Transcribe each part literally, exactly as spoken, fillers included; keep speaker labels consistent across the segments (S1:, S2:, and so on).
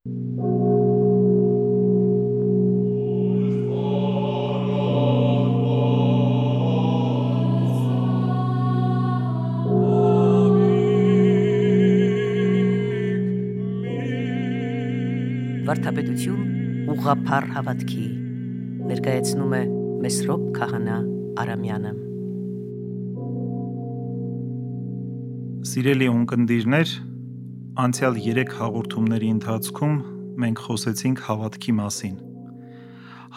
S1: Վարդապետություն ուղղափառ հավատքի ներկայացնում է Մեսրոպ Քահանա Արամյանը։
S2: Սիրելի ունկնդիրներ, անցյալ երեք հաղորդումների ընթացքում մենք խոսեցինք հավատքի մասին։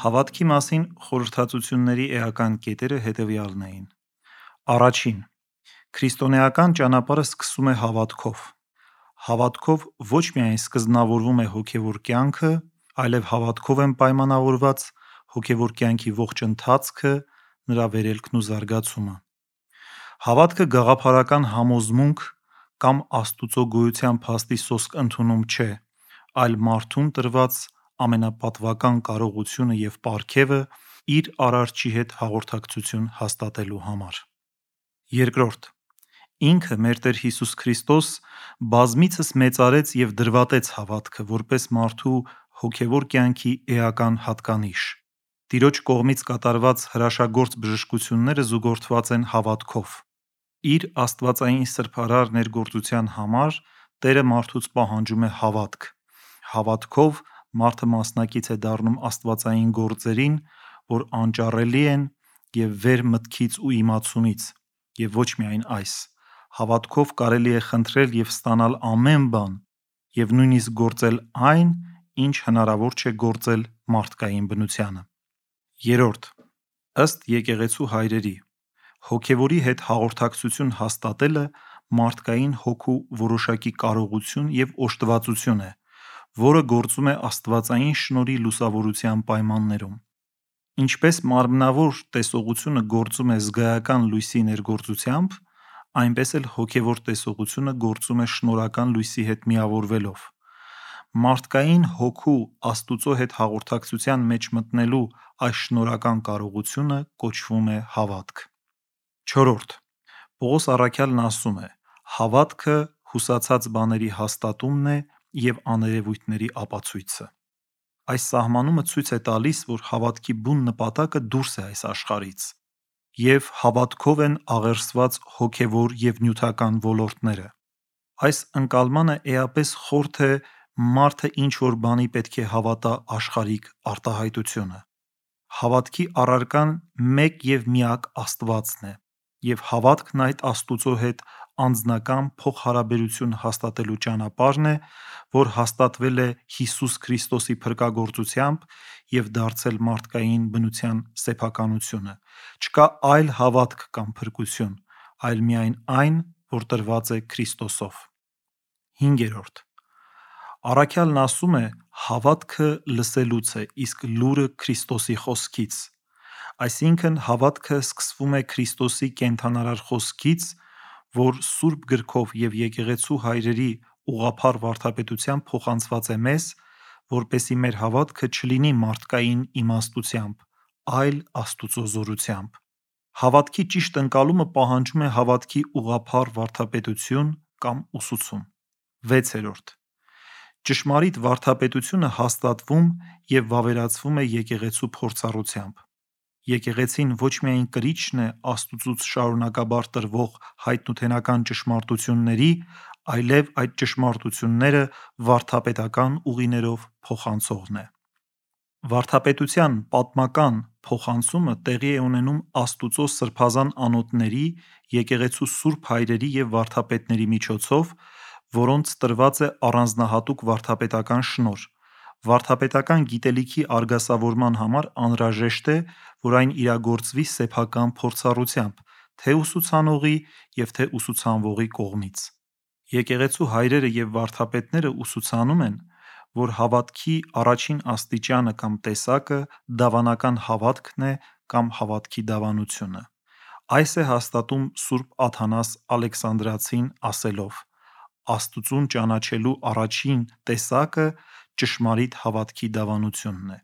S2: Հավատքի մասին խորհրդածությունների էական կետերը հետևյալն էին։ Առաջին, քրիստոնեական ճանապարհը սկսում է հավատքով։ Հավատքով ոչ միայն սկզբնավորվում է հոգևոր կյանքը, այլև հավատքով են պայմանավորված հոգևոր կյանքի ողջ ընթացքը, նրա վերելքն ու զարգացումը։ Հավատքը գաղափարական համոզմունք կամ Աստուծո գոյության փաստի սոսկ ընդունում չէ, այլ մարդուն տրված ամենապատվական կարողությունը և պարգևը իր Արարչի հետ հաղորդակցություն հաստատելու համար։ Երկրորդ, ինքը մեր Տեր Հիսուս Քրիստոս բազմիցս մեծարեց և դրվատեց հավատքը, որպես մարդու հոգևոր կյանքի էական հատկանիշ։ Տիրոջ կողմից կատարված հրաշագործ բժշկությունները զուգորդված են հավատքով։ Իր աստվածային սրբարար ներգործության համար Տերը մարդուց պահանջում է հավատք։ Հավատքով մարդը մասնակից է դառնում աստվածային գործերին, որ անճառելի են և վեր մտքից ու իմացումից, և ոչ միայն այս։ Հավատքով կարելի է խնդրել և ստանալ ամեն բան և նույնիսկ գործել այն, ինչ հնարավոր չէ գործել մարդկային բնությանը։ Երրորդ, ըստ եկեղեցու հայրերի, հոգևորի հետ հաղորդակցություն հաստատելը մարդկային հոգու որոշակի կարողություն և օժտվածություն է, որը գործում է աստվածային շնորհի լուսավորության պայմաններում։ Ինչպես մարմնավոր տեսողությունը գործում է զգայական լույսի ներգործությամբ, այնպես էլ հոգևոր տեսողությունը գործում է շնորհական լույսի հետ միավորվելով։ Մարդկային հոգու Աստուծո հետ հաղորդակցության մեջ մտնելու այս շնորհական կարողությունը կոչվում է հավատք։ Չորրորդ, Պողոս առաքյալն ասում է. հավատքը հուսացած բաների հաստատումն է և աներևույթների ապացույցը։ Այս սահմանումը ցույց է տալիս, որ հավատքի բուն նպատակը դուրս է այս աշխարհից, և հավատքով են աղերսված հոգևոր և նյութական ոլորտները։ Այս ընկալմանը էապես խորթ է մարդը ինչ-որ բանի պետք է հավատա աշխարհիկ արտահայտությունը։ Հավատքի առարկան մեկ և միակ Աստվածն է, և հավատքն այդ Աստուծո հետ անձնական փոխհարաբերություն հաստատելու ճանապարհն է, որ հաստատվել է Հիսուս Քրիստոսի փրկագործությամբ և դարձել մարդկային բնության սեփականությունը։ Չկա այլ հավատք կամ փրկություն, այլ միայն այն, որ տրված է Քրիստոսով։ Հինգերորդ, առաքյալն ասում է. հավատքը լսելուց է, իսկ լուրը Քրիստոսի խոսքից։ Այսինքն հավատքը սկսվում է Քրիստոսի կենդանարար խոսքից, որ Սուրբ Գրքով և եկեղեցու հայրերի ուղղափառ վարդապետությամբ փոխանցված է մեզ, որպեսզի մեր հավատքը չլինի մարդկային իմաստությամբ, այլ Աստուծո զորությամբ։ Հավատքի ճիշտ ընկալումը պահանջում է հավատքի ուղղափառ վարդապետություն կամ ուսուցում։ Վեցերորդ, ճշմարիտ վարդապետությունը հաստատվում և վավերացվում է եկեղեցու փորձառությամբ։ Եկեղեցին ոչ միայն կրիչն է Աստուծուց շարունակաբար տրվող հայտնութենական ճշմարտությունների, այլև այդ ճշմարտությունները վարդապետական ուղիներով փոխանցողն է։ Վարդապետության պատմական փոխանցումը տեղի է ունենում Աստուծո սրբազան անոթների, եկեղեցու սուրբ հայրերի և վարդապետների միջոցով, որոնց տրված է առանձնահատուկ վարդապետական շնորհ։ Վարդապետական գիտելիքի արգասավորման համար անհրաժեշտ է, որ այն իրագործվի սեփական փորձառությամբ, թե ուսուցանողի և թե ուսուցանվողի կողմից։ Եկեղեցու հայրերը և վարդապետները ուսուցանում են, որ հավատքի առաջին աստիճանը կամ տեսակը դավանական հավատքն է կամ հավատքի դավանությունը։ Այս է հաստատում Սուրբ Աթանաս Ալեքսանդրացին ասելով. Աստծուն ճանաչելու առաջին տեսակը ճշմարիտ հավատքի դավանությունն է։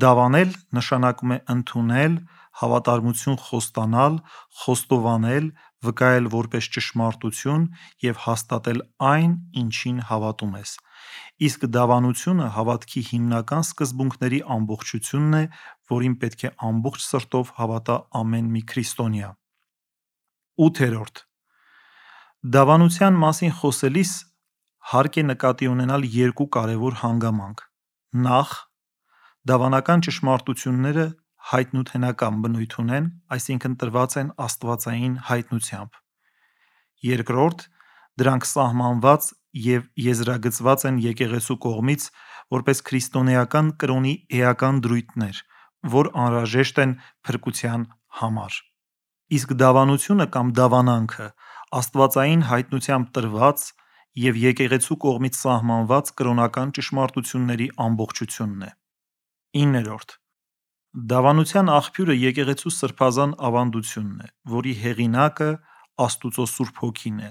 S2: Դավանել նշանակում է ընդունել, հավատարմություն խոստանալ, խոստովանել, վկայել որպես ճշմարտություն և հաստատել այն, ինչին հավատում ես։ Իսկ դավանությունը հավատքի հիմնական սկզբունքների ամբողջությունն է, որին պետք է ամբողջ սրտով հավատա ամեն մի քրիստոնյա։ ութերորդ. Դավանության մասին խոսելիս հարկ է նկատի ունենալ երկու կարևոր հանգամանք։ Նախ, դավանական ճշմարտությունները հայտնութենական բնույթ ունեն, այսինքն տրված են աստվածային հայտնությամբ։ Երկրորդ, դրանք սահմանված և եզրագծված են եկեղեցու կողմից որպես քրիստոնեական կրոնի էական դրույթներ, որ անհրաժեշտ են փրկության համար։ Իսկ դավանությունը կամ դավանանքը աստվածային հայտնությամբ տրված և եկեղեցու կողմից սահմանված կրոնական ճշմարտությունների ամբողջությունն է։ իններորդ. Դավանության աղբյուրը եկեղեցու սրբազան ավանդությունն է, որի հեղինակը Աստուծո Սուրբ Հոգին է։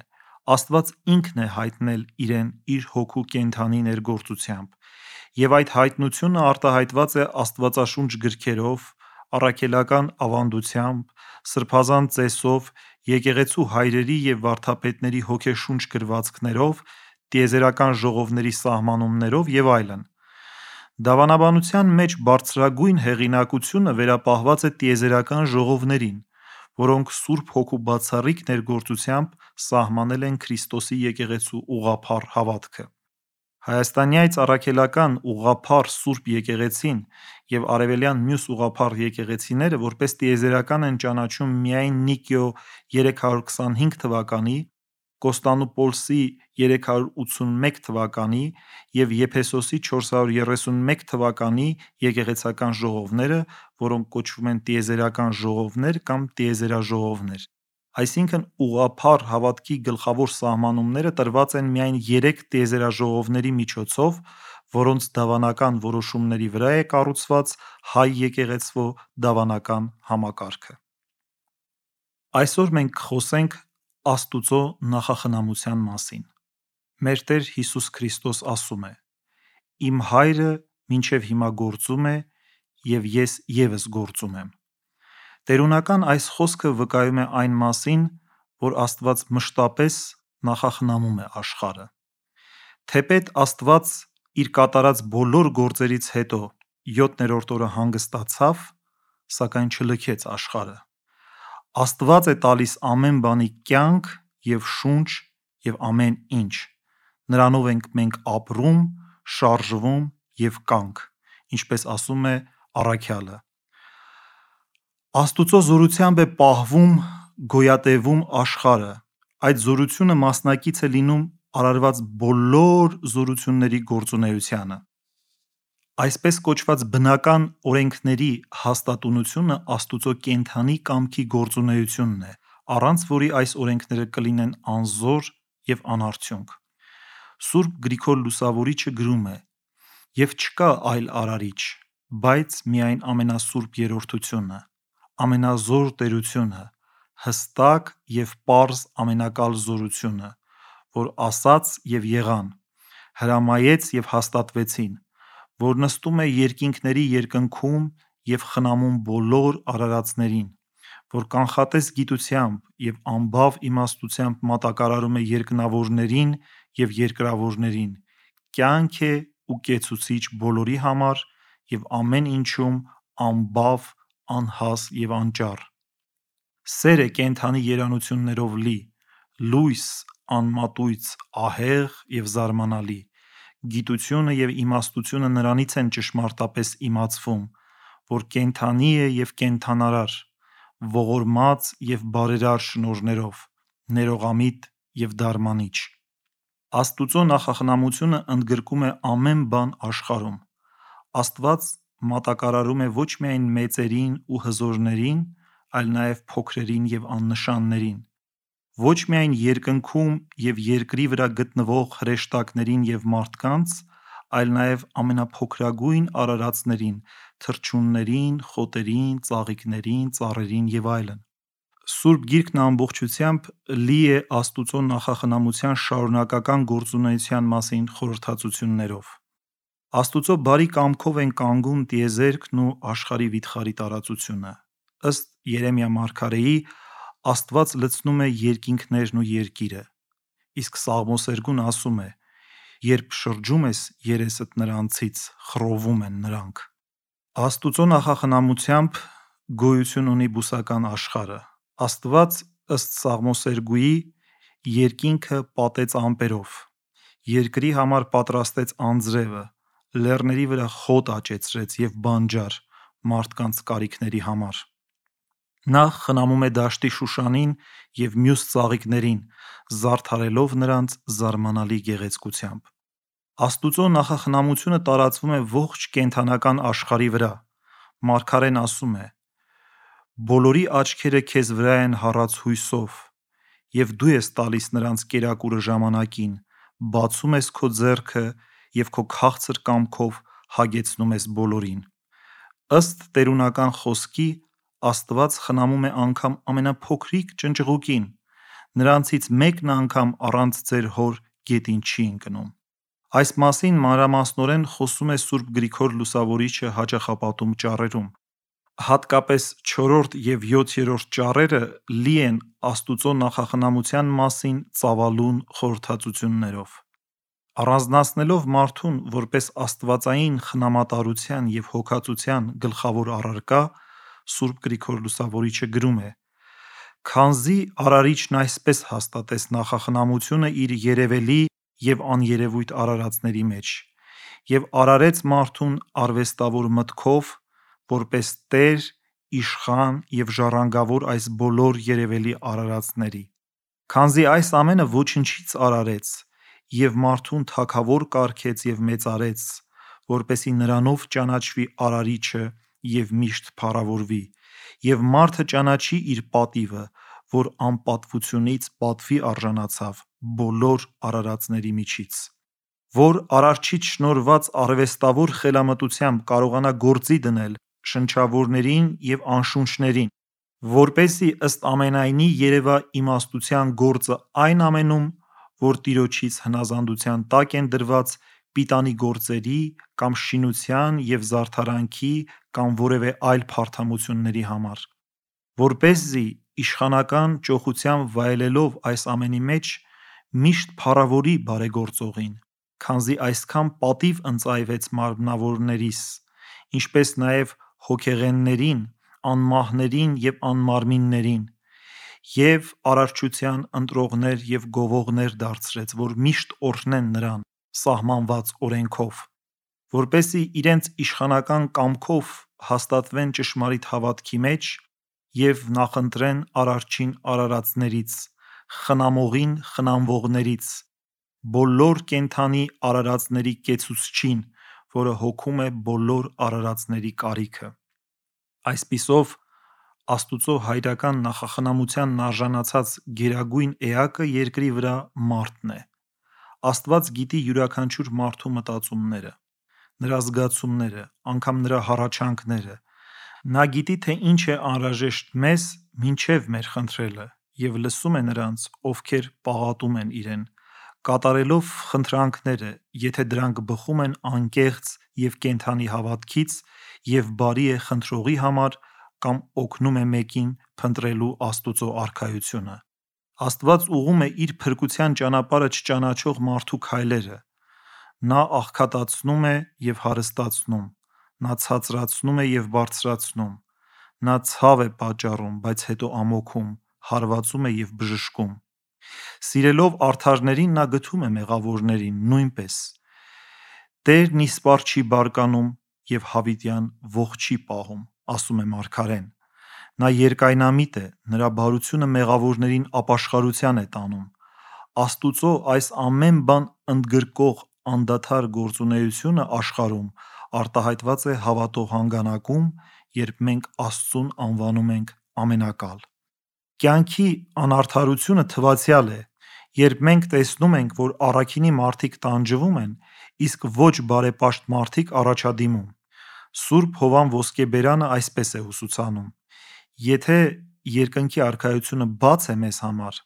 S2: Աստված ինքն է հայտնել իրեն իր հոգու կենդանի ներգործությամբ, և այդ հայտնությունը արտահայտված է աստվածաշունչ գրքերով, առաքելական ավանդությամբ, սրբազան ծեսով, եկեղեցու հայրերի և վարդապետների հոգեշունչ գրվածքներով, տիեզերական ժողովների սահմանումներով և այլն։ Դավանաբանության մեջ բարձրագույն հեղինակությունը վերապահված է տիեզերական ժողովներին, որոնք Սուրբ Հոգու բացառիկ ներգործությամբ սահմանել են Քրիստոսի եկեղեցու ուղղափառ հավատքը։ Հայաստանյաց առաքելական ուղղափառ Սուրբ եկեղեցին և արևելյան մյուս ուղղափառ եկեղեցիները որպես տիեզերական են ճանաչում միայն Նիկեո երեք հարյուր քսանհինգ թվականի, Կոստանդնուպոլսի երեք հարյուր ութսունմեկ թվականի և Եփեսոսի չորս հարյուր երեսունմեկ թվականի եկեղեցական ժողովները, որոնք կոչվում են տիեզերական ժողովներ կամ տիեզերաժողովներ։ Այսինքն ուղղափառ հավատքի գլխավոր սահմանումները տրված են միայն երեք տիեզերաժողովների միջոցով, որոնց դավանական որոշումների վրա է կառուցված հայ եկեղեցվո դավանական համակարգը։ Այսօր մենք կխոսենք Աստուծո նախախնամության մասին։ Մեր Տեր Հիսուս Քրիստոս ասում է. «Իմ Հայրը մինչև հիմա գործում է, և ես ևս գործում եմ»։ Տերունական այս խոսքը վկայում է այն մասին, որ Աստված մշտապես նախախնամում է աշխարհը։ Թեպետ Աստված իր կատարած բոլոր գործերից հետո յոթներորդ օրը հանգստացավ, սակայն չլքեց աշխարհը։ Աստված է տալիս ամեն բանի կյանք և շունչ և ամեն ինչ։ Նրանով ենք մենք ապրում, շարժվում և կանք, ինչպես ասում է առաքյալը։ Աստուծո զորությամբ է պահվում, գոյատևում աշխարհը, այդ զորությունը մասնակից է լինում արարված բոլոր զորությունների գործունեությանը։ Այսպես կոչված բնական օրենքների հաստատունությունը Աստուծո կենդանի կամքի գործունեությունն է, առանց որի այս օրենքները կլինեն անզոր և անարդյունք։ Սուրբ Գրիգոր Լուսավորիչը գրում է. «Եվ չկա այլ արարիչ, բայց միայն ամենասուրբ Երրորդությունը, ամենազոր տերությունը, հստակ և պարզ ամենակալ զորությունը, որ ասաց և եղան, հրամայեց և հաստատվեցին, որ նստում է երկինքների երկնքում և խնամում բոլոր արարածներին, որ կանխատես գիտությամբ և անբավ իմաստությամբ մատակարարում է երկնավորներին և երկրավորներին, կյանք է ու կեցուցիչ բոլորի համար և ամեն ինչում անբավ, անհաս և անճառ։ Սեր է կենդանի երանություններով լի, լույս, անմատույց, ահեղ և զարմանալի։ Գիտությունը և իմաստությունը նրանից են ճշմարտապես իմացվում, որ կենդանի է և կենդանարար, ողորմած և բարերար շնորհներով, ներողամիտ և դարմանիչ։ Աստուծո նախախնամությունը ընդգրկում է ամեն բան աշխարհում։ Աստված մատակարարում է ոչ միայն մեծերին ու հզորներին, այլ նաև փոքրերին և աննշաններին, ոչ միայն երկնքում և երկրի վրա գտնվող հրեշտակներին և մարդկանց, այլ նաև ամենափոքրագույն արարածներին, թռչուններին, խոտերին, ծաղիկներին, ծառերին և այլն։ Սուրբ Գիրքն ամբողջությամբ լի է Աստուծո նախախնամության շարունակական գործունեության մասին խորհրդածություններով։ Աստուծո բարի կամքով են կանգուն տիեզերքն ու աշխարհի վիթխարի տարածությունը։ Ըստ Երեմիա մարգարեի, Աստված լցնում է երկինքներն ու երկիրը։ Իսկ Սաղմոսերգուն ասում է. երբ շրջում ես երեսդ նրանցից, խռովում են նրանք։ Աստուծո նախախնամությամբ գոյություն ունի բուսական աշխարհը։ Աստված ըստ Սաղմոսերգուի երկինքը պատեց ամպերով, երկրի համար պատրաստեց անձրևը, լեռների վրա խոտ աճեցրեց և բանջար մարդկանց կարիքների համար։ Նա խնամում է դաշտի Շուշանին և մյուս ծաղիկներին, զարդարելով նրանց զարմանալի գեղեցկությամբ։ Աստուծո նախախնամությունը տարածվում է ողջ կենդանական աշխարհի վրա։ Մարգարեն ասում է. «Բոլորի աչքերը քեզ վրա են հառած հույսով, և դու ես տալիս նրանց կերակուրը ժամանակին, բացում ես քո ձեռքը և քո քաղցր կամքով հագեցնում ես բոլորին»։ Ըստ տերունական խոսքի, Աստված խնամում է անգամ ամենափոքրիկ ճնճղուկին, նրանցից մեկն անգամ առանց ձեր հոր գետին չի ընկնում։ Այս մասին մանրամասնորեն խոսում է Սուրբ Գրիգոր Լուսավորիչը հաճախապատում ճառերում։ Հատկապես չորրորդ և յոթերորդ ճառերը լի են Աստուծո նախախնամության մասին ծավալուն խորհրդածություններով։ Առանձնացնելով մարդուն որպես աստվածային խնամատարության և հոգածության գլխավոր առարկա, Սուրբ Գրիգոր Լուսավորիչը գրում է. «Քանզի Արարիչն այսպես հաստատեց նախախնամությունը իր երևելի և աներևույթ արարածների մեջ, և արարեց մարդուն արվեստավոր մտքով, որպես տեր, իշխան և ժառանգավոր այս բոլոր երևելի արարածների։ Քանզի այս ամենը ոչնչից արարեց և մարդուն թագավոր կարգեց և մեծարեց, որպեսզի նրանով ճանաչվի Արարիչը և միշտ փառավորվի, և մարդը ճանաչի իր պատիվը, որ անպատվությունից պատվի արժանացավ բոլոր արարածների միջից, որ Արարչից շնորհված արվեստավոր խելամտությամբ կարողանա գործի դնել շնչավորներին և անշունչներին, որպեսզի ըստ ամենայնի երևա իմաստության գործը այն ամենում, որ Տիրոջից հնազանդության տակ են դրված պիտանի գործերի կամ շինության և զարդարանքի կամ որևէ այլ փարթամությունների համար, որպեսզի իշխանական ճոխությամբ վայելելով այս ամենի մեջ միշտ փառավորի բարեգործողին, քանզի այսքան պատիվ ընծայվեց մարմնավորներիս, ինչպես նաև հոգեղեններին, անմահներին և անմարմիններին, և արարչության ընտրողներ և գովողներ դարձրեց, որ միշտ օրհնեն նրան սահմանված օրենքով, որպեսզի իրենց իշխանական կամքով հաստատվեն ճշմարիտ հավատքի մեջ և նախընտրեն Արարչին արարածներից, խնամողին խնամվողներից, բոլոր կենդանի արարածների կեցուցչին, որը հոգում է բոլոր արարածների կարիքը»։ Այսպիսով, Աստուծո հայրական նախախնամությանն արժանացած գերագույն էակը երկրի վրա մարդն է։ Աստված գիտի յուրաքանչյուր մարդու մտածումները, նրա զգացումները, անգամ նրա հառաչանքները։ Նա գիտի, թե ինչ է անհրաժեշտ մեզ մինչև մեր խնդրելը և լսում է նրանց, ովքեր պաղատում են իրեն, կատարելով խնդրանքները, եթե դրանք բխում են անկեղծ և կենդանի հավատքից և բարի է խնդրողի համար կամ օգնում է մեկին փնտրելու Աստուծո առքայությունը։ Աստված ուղղում է իր փրկության ճանապարհը չճանաչող մարդու քայլերը։ Նա աղքատացնում է և հարստացնում, նա ցածրացնում է և բարձրացնում, նա ցավ է պատճառում, բայց հետո ամոքում, հարվածում է և բժշկում։ Սիրելով արդարներին նա գթում է մեղավորներին նույնպես։ Տերն իսպառ չի բարկանում և հավիտյան ոխ չի պահում, ասում է մարգարեն։ Նա երկայնամիտ է, նրա բարությունը մեղավորներին ապաշխարության է տանում։ Աստուծո այս ամեն բան ընդգրկող անդադար գործունեությունը աշխարհում արտահայտված է հավատող հանգանակում, երբ մենք Աստծուն անվանում ենք ամենակալ։ Կյանքի անարդարությունը թվացյալ է, երբ մենք տեսնում ենք, որ առաքինի մարդիկ տանջվում են, իսկ ոչ բարեպաշտ մարդիկ առաջադիմում։ Սուրբ Հովհան Ոսկեբերանը այսպես է ուսուցանում. «Եթե երկնքի Արքայությունը բաց է մեզ համար,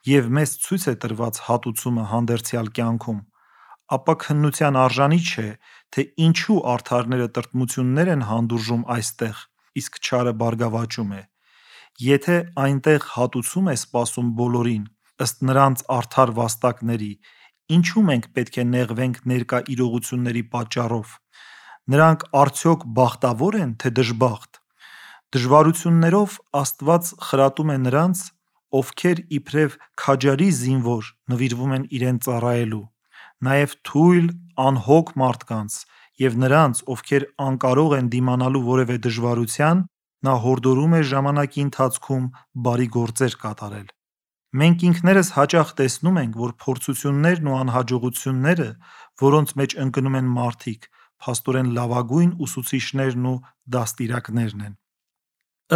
S2: և մեզ ցույց է տրված հատուցումը հանդերձյալ կյանքում, ապա քննության արժանի չէ, թե ինչու արդարները տրտմություններ են հանդուրժում այստեղ, իսկ չարը բարգավաճում է։ Եթե այնտեղ հատուցում է սպասում բոլորին, ըստ նրանց արդար վաստակների, ինչու մենք պետք է նեղվենք ներկա իրողությունների պատճառով։ Նրանք արդյոք բախտավոր են, թե դժբախտ։ Դժվարություններով Աստված խրատում է նրանց, ովքեր իբրև քաջարի զինվոր նվիրվում են իրեն ծառայելու, նաև թույլ, անհոգ մարդկանց և նրանց, ովքեր անկարող են դիմանալու որևէ դժվարության, նա հորդորում է ժամանակի ընթացքում բարի գործեր կատարել։ Մենք ինքներս հաճախ տեսնում ենք, որ փորձություններն ու անհաջողությունները, որոնց մեջ ընկնում են մարդիկ, փաստորեն լավագույն ուսուցիչներն ու դաստիարակներն են։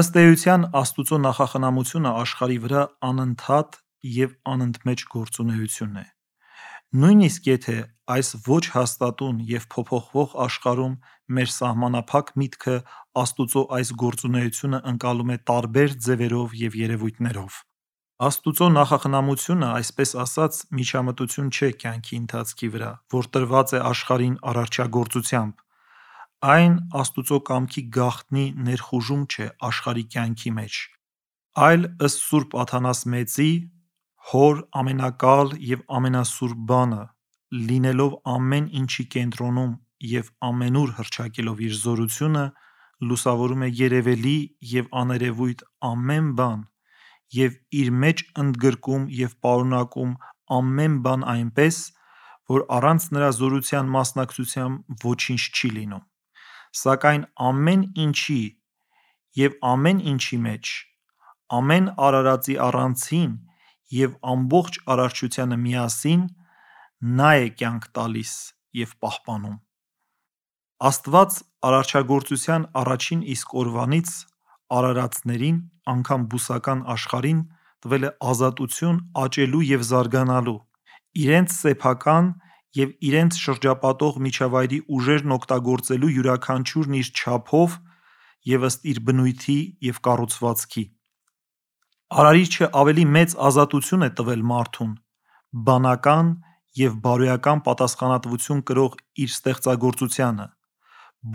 S2: Ըստ էության, Աստծո նախախնամությունը աշխարհի վրա անընդհատ և անընդմեջ գործունեություն է։ Նույնիսկ եթե այս ոչ հաստատուն և փոփոխվող աշխարհում մեր սահմանափակ միտքը Աստծո այս գործունեությունը ընկալում է տարբեր ձևերով և երևույթներով։ Աստծո նախախնամությունը, այսպես ասած, միջամտություն չէ կյանքի ընթացքի վրա, որ տրված է աշխարհին արարչագործությամբ։ Այն Աստծո կամքի գաղտնի ներխուժում չէ աշխարհի կյանքի մեջ, այլ ըստ Սուրբ Աթանաս Մեծի, Հոր ամենակալ և ամենասուրբ բանը, լինելով ամեն ինչի կենտրոնում և ամենուր հռչակելով իր զորությունը, լուսավորում է երևելի և աներևույթ ամեն բան և իր մեջ ընդգրկում և պարունակում ամեն բան այնպես, որ առանց նրա զորության մասնակցության ոչինչ չի լինում։ Սակայն ամեն ինչի և ամեն ինչի մեջ, ամեն արարածի առանցին և ամբողջ արարչությանը միասին, նա է կյանք տալիս և պահպանում։ Աստված արարչագործության առաջին իսկ օրվանից արարածներին, անգամ բուսական աշխարհին, տվել է ազատություն աճելու և զարգանալու, իրենց սեփական և իրենց շրջապատող միջավայրի ուժերն օգտագործելու յուրաքանչյուրն իր չափով և ըստ իր բնույթի և կառուցվածքի։ Արարիչը ավելի մեծ ազատություն է տվել մարդուն բանական և բարոյական պատասխանատվություն կրող իր ստեղծագործությանը,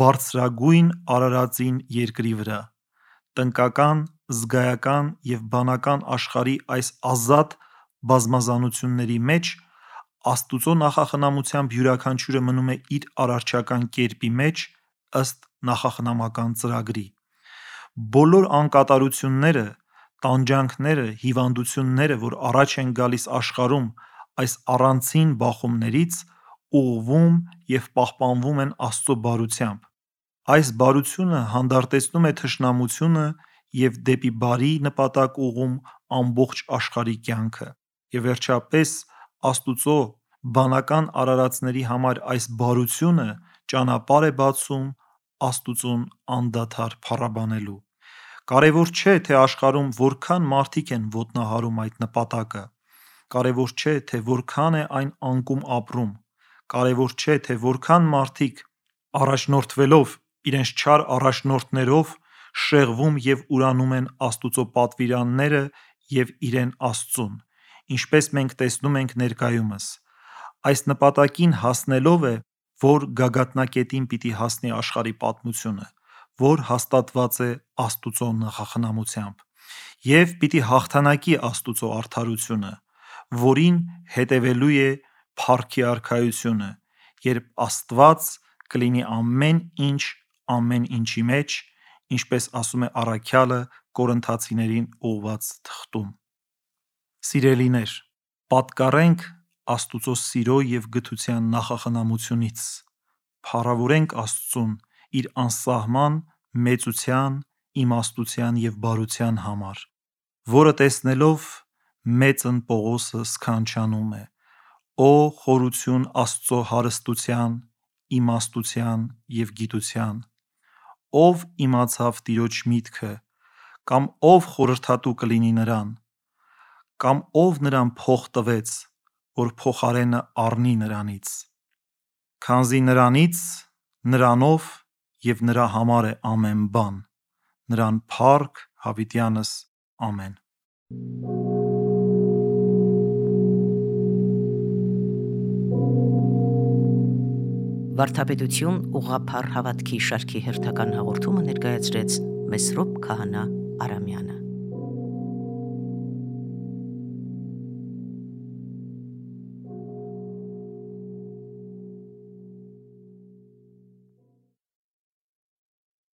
S2: բարձրագույն արարածին երկրի վրա։ Տնկական, զգայական և բանական աշխարհի այս ազատ բազմազանությունների մեջ Աստծո նախախնամությամբ յուրաքանչյուրը մնում է իր արարչական կերպի մեջ ըստ նախախնամական ծրագրի։ Բոլոր անկատարությունները, տանջանքները, հիվանդությունները, որ առաջ են գալիս աշխարհում այս առանցին բախումներից, ուղղվում և պահպանվում են Աստծո բարությամբ։ Այս բարությունը հանդարտեցնում է թշնամությունը և դեպի բարի նպատակ ուղղում ամբողջ աշխարհի կյանքը։ Եվ վերջապես, Աստծո բանական արարածների համար այս բարությունը ճանապարհ է բացում Աստծուն անդադար փառաբանելու։ Կարևոր չէ, թե աշխարհում որքան մարդիկ են ոտնահարում այդ նպատակը։ Կարևոր չէ, թե որքան է այն անկում ապրում։ Կարևոր չէ, թե որքան մարդիկ, առաջնորդվելով իրենց չար առաջնորդներով, շեղվում և ուրանում են Աստծո պատվիրանները և իրեն Աստծուն, ինչպես մենք տեսնում ենք ներկայումս։ Այս նպատակին հասնելով է, որ գագաթնակետին պիտի հասնի աշխարհի պատմությունը, որ հաստատված է Աստծո նախախնամությամբ, և պիտի հաղթանակի Աստծո արդարությունը, որին հետևելու է փառքի արքայությունը, երբ Աստված կլինի ամեն ինչ ամեն ինչի մեջ, ինչպես ասում է առաքյալը Կորնթացիներին ուղղված թղթում։ Սիրելիներ, պատկառենք Աստծո սիրո և գթության նախախնամությունից, փառավորենք Աստծուն իր անսահման մեծության, իմաստության և բարության համար, որը տեսնելով մեծն Պողոսը սքանչանում է. «Օ խորություն Աստծո հարստության, իմաստության և գիտության, ո՞վ իմացավ Տիրոջ միտքը, կամ ո՞վ խորհրդատու կլինի Նրան, կամ ո՞վ Նրան փող տվեց, որ փոխարենը առնի Նրանից, քանզի Նրանից, Նրանով և Նրա համար է ամեն բան, Նրան փառք հավիտյանս ամեն»։
S1: Վարդապետություն ուղղափառ հավատքի շարքի հերթական հաղորդումը ներկայացրեց Մեսրոպ Քահանա Արամյանը։